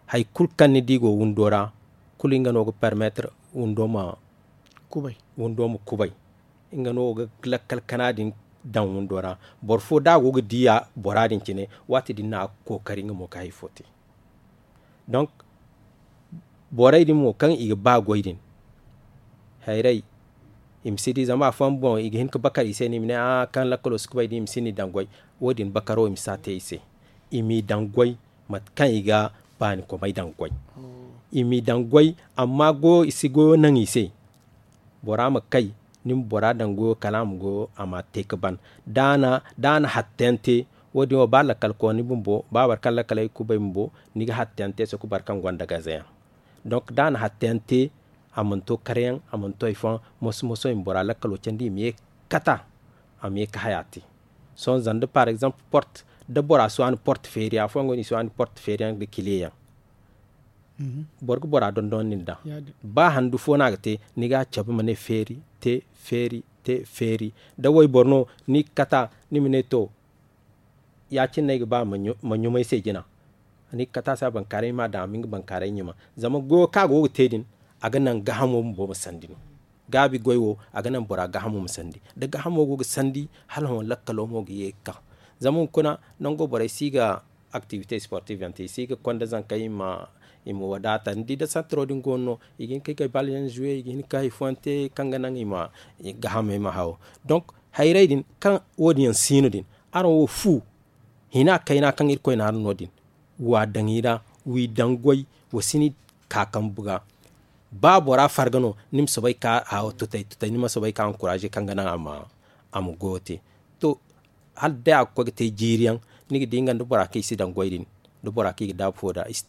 hari kulu kaŋ ni di go windo ra kulu nga no ga permettre windo ma kubay. Nga no ga lakkal kana din daŋ windo ra. Boro fo da a go ga diya bora din cine waati din no a ga kookari nga mo ga hari fo te. Donk borey din mo kaŋ i ga ba goy din hayray i ma si di zama afooyaŋ boŋ i ga hin ga bakar i se no i ma ne a kaŋ lakkalo si kubay din i ma si ni daŋ goy. Wo- din bakaro i ma si a te i se i m'i daŋ goy mate kaŋ i ga baani komey daŋ goy. I m'i daŋ goy amma goyo i si goyo naŋ i se. Bora ma kay ni ma bora daŋ goyo kala a ma goyo a ma a te ga ban. Da a na hatta yaŋ te wo- din wo ba lakkal kooni bumbo ba boro kaŋ lakkaley kubay bumbo ni ga hatta yaŋ te soko boro kaŋ gonda gaze yaŋ. Donc da a na hatta yaŋ te, a mana to kare yaŋ, a mana to hari fooyaŋ, moso moso i ma bora lakkalo candi i ma ye ga kata. A ma ye ga haya te. Sohõ zanda par exemple porte, da bora si waani porte feeri afooyaŋ go no i si waani porte feeri yaŋ nda kile yaŋ. Boro ga bora dondonandi nd'a. Ba handu fo no a ga te, ni ga a cabe ma ne feeri te, feeri te, feeri. Da wayboro no ni ga kata, ni ma ne to, ya- cine no ay ga ba ma ɲumay se jina. Ni ga kata se a bankaaray ma daŋ a ma nga bankaaray ɲuma. Zama goyo kaŋ a go ga te din, a ga naŋ gaahamo bumbo ma sandi no. Gaabi goy wo, a ga naŋ bora gaahamo ma sandi. Da gaahamo go ga sandi, hala hõ lakkalo mo ga ye ga kaŋ. Zama hunkuna, nango borey si ga aktivite sportif yaŋ te i si ga konda zankey i ma wadaata ni di da santaro din go no no, i ga hin ka ay ga bal yaŋ zuwe i ga hin ka hari fooyaŋ te kaŋ ga naŋ i ma gahamey ma haw. Donk, hayray din kaŋ wo- din yaŋ si no din, araŋ wo fu hina kayna kaŋ irkoy na araŋ no din, wa daŋ i ra, wi daŋ goy, wa si ni ka kambu ga. Ba bora farga no, ni ma soobay ka haw tutay tutay ni ma soobay ka ankuraaze kaŋ ga naŋ a ma goyo te. To, hala day a ga koy ga te jiiri yaŋ, ni ga di nga nda bora kaŋ i si daŋ goy din, da bora kaŋ i ga daabu fo nd'a i si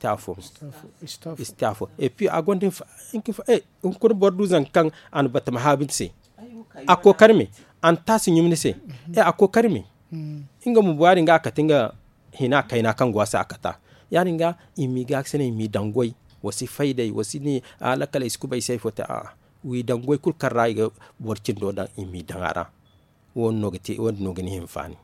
te afo. Epi a gonda hinka hinka hunkuna boro du zanka kaŋ a na batama haabu ni se. A kookari me, a na taasi ɲum ni se. A kookari me. Nga bumbo ya- din ga a kate nga hina kayna kaŋ go a se a kata. Ya- din ga i m'i gaakasinay i m'i daŋ goy, wa si fay d'ey wa si ne, a lakkaley si kubay si hay fo te a'a. W'i daŋ goy kulu kaŋ ra i ga boro cindo daŋ i m'i daŋ a ra. Wo- din no ga ni hinfaani.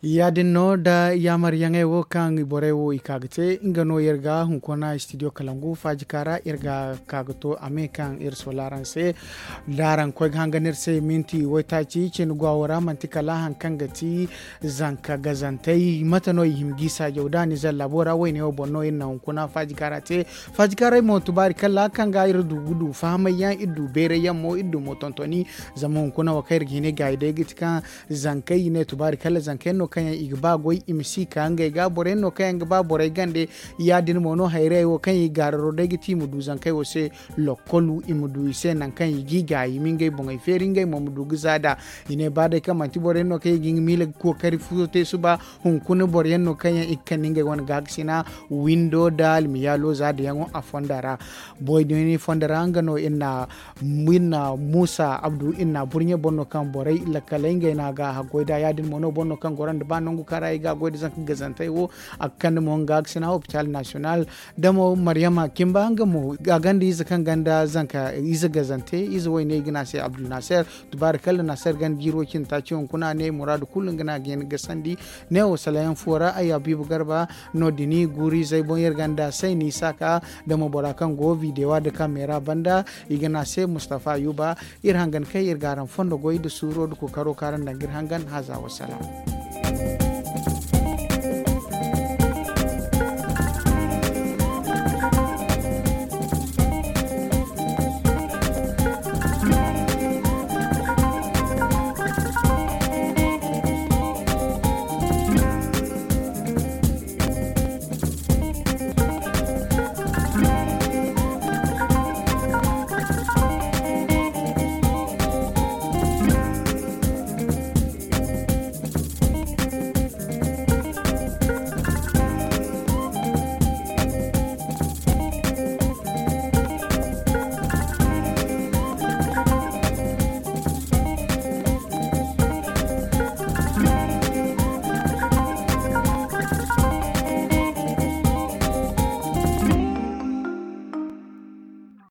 Ya- din no nda yaamaryaŋey wo kaŋ borey wo i ka ga te nga no iri ga hunkuna studio kalangu faajika ra iri ga ka ga to a me kaŋ iri sola araŋ se. Da araŋ koy ga hangan iri se minti waytaaci cine gwa wo ra manti kala hari kaŋ ga ti zanka gazantey mate no i hima g'i saajaw da ni zalla boora wayne wo boŋ no iri na hunkuna faajika ra te. Faajika ra ay mo tubaari kalla kaŋ ga iri du ga du fahamay yaŋ iri du beeray yaŋ mo iri du mo tontoni. Zama hunkuna wo kaŋ iri ga hin ay gaayi day ga ti kaŋ zankey i ne tubaari kalla zankey no kaŋ yaŋ i ga ba goy i ma si ka ngey ga borey no kaŋ yaŋ ga ba borey gande. Ya- din mo no hayrayey wo kaŋ i gaararo day ga ti i ma du zankey wo se lokkolu i ma du i se nangu kaŋ i g'i gaayi i ma ngey boŋey feeri ngey mo ma du ga za nd'a. I ne ba day kaŋ manti borey no kaŋ i ga nga miila ga kookari futo te suba. Hunkuna boro yaŋ no kaŋ yaŋ i ga kande ngey wane gaakasina windo nda almiyaalo za da yaŋo a fonda ra. Boy din fonda ra nga no iri na muusa abdu iri na burɲe boro no kaŋ borey lakkaley ngey no a ga haggoy nd'a ya- din mo no boro no kaŋ goro nda ba nangu kaŋ ra i ga a goy nda zanka gazantey wo. A ga kande mo nga gaakasina hopital nasiyonal. Da mo maryama kimba nga mo a gonda ize kaŋ gonda zanka ize gazante ize wayne i ga ne a se abdulnaser. Tubaari kalla naser ganda jiiro cine taaci hunkuna ne muraadu kulu nga no a ga hin ga sandi. Ne wo salayaŋ fo ra ay habiibu garba no- din guuru izey boŋ iri gonda sayni saaka. Da mo bora kaŋ go videwa nda kameera banda i ga ne a se mustafa ayuba. Iri hangan kay iri ga araŋ fondo goy nda suuro nda kookaro kaŋ araŋ daŋ ga iri hangan haza wasalaam.